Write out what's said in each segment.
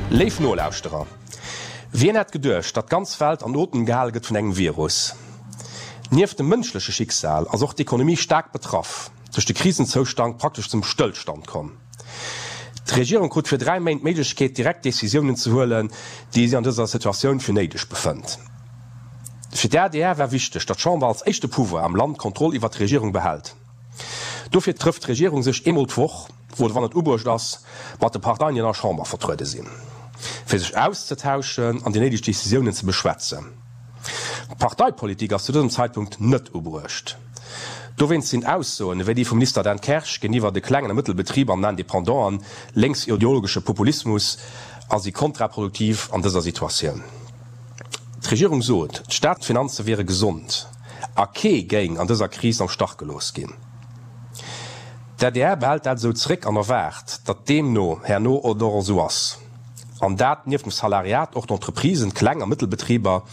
Léif Nolauschterer, wien hätt geduecht, datt d'ganz Welt an Otem gehale gëtt vun engem Virus? Nieft dem mënschleche Schicksal ass och d'Ekonomie staark betraff, duerch de Krisenzoustand praktesch zum Stëllstand komm. D'Regierung krut fir 3 Méint d'Méiglechkeet, direkt Decisiounen ze huelen, déi si an dëser Situatioun fir néideg befënnt. Fir d'ADR war wichteg, datt d'Chamber als éischte Pouvoir am Land d'Kontroll iwwert d'Regierung behält. Dofir trëfft d'Regierung sech eemol d'Woch, oder wann et ubruecht ass, mat de Parteien, déi an der Chamber vertruede sinn, fir sech auszetauschen an déi néideg Decisiounen ze beschwätzen. Parteipolitik ass zu dësem Zeitpunkt net ubruecht. Dowéinst sinn Aussoen ewéi déi vum Minister Dan Kersch géintiwwer de klengen a Mëttelbetriber an den Independanten lénksideologesche Populismus a si kontraproduktiv an dëser Situatioun. D'Regierung sot, d'Staatsfinanze wiere gesond a kee géing an dëser Kris am Stach gelooss ginn. D'adr behält dat esou zeréck an erwaart, datt deemno herno et och esou ass. An dat nieft dem Salariat och d'Entreprisen, d'Kleng a Mëttelbetriber,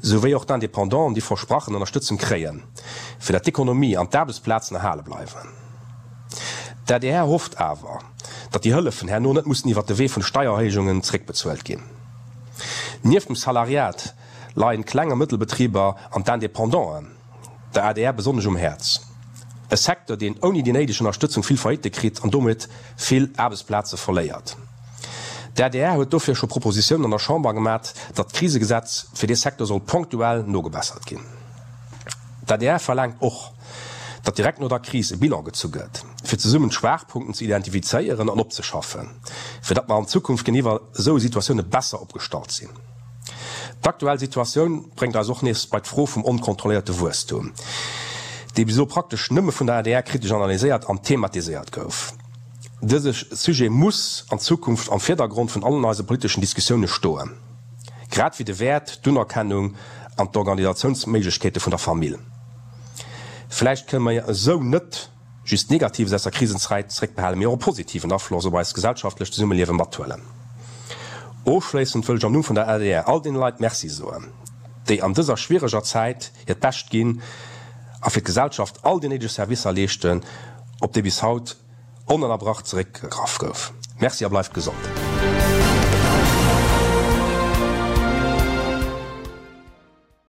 souwéi och d'Independanten déi versprachen Ënnerstëtzung kréien, fir datt d'Ekonomie an d'Aarbechtsplazen erhale bleiwen. D'adr hofft awer, datt déi Hëllefen herno net mussen iwwert de Wee vun Steiererhéijungen zeréckbezuelt ginn. Nieft dem Salariat leien d'Kleng a Mëttelbetriber an d'Independanten der adr besonnesch um Häerz. E Secteur, deen ouni déi néideg Ënnerstëtzung vill Faillite kritt an domat vill Aarbechtsplaze verléiert. D'adr huet dofir scho Propositiounen an der Chamber gemat, datt d'Krisegesetz fir dee Secteur soll ponktuell nogebessert ginn. D'adr verlaangt och, datt direkt no der Kris e Bilan gezu gëtt, fir zesummen d'Schwaachpunkten ze identifizéieren an opzeschaffen, fir datt mer an Zukunft géintiwwer esou Situatioune besser opgestallt sinn. D'aktuell Situatioun bréngt eis och nees bei d'Fro vum onkontrolléierte Wuesstum, dee bis elo praktesch nëmme vun der adr kritesch analyséiert an thematiséiert gouf. Dëse Sujet muss an Zukunft am Virdergrond vun allen eise politeschen Diskussioune stoen, grad wéi de Wäert, d'Unerkennung an d'Organisatiounsméiglechkeete vun der Famill. Vläicht kënne mer esou net just Negatives aus der Krisenzäit zeréckbehalen, mee och e positiven Afloss op eist gesellschaftlecht Zesummeliewe mathuelen. Ofschléissend wëll ech am Numm vun der adr all deene Leit Merci soen, déi an dëser schwiereger Zäit hiert Bescht ginn a fir d'Gesellschaft all déi néideg Servicer leeschten, op déi bis haut onënnerbrach zeréckgegraff gouf. Merci a bleift gesond.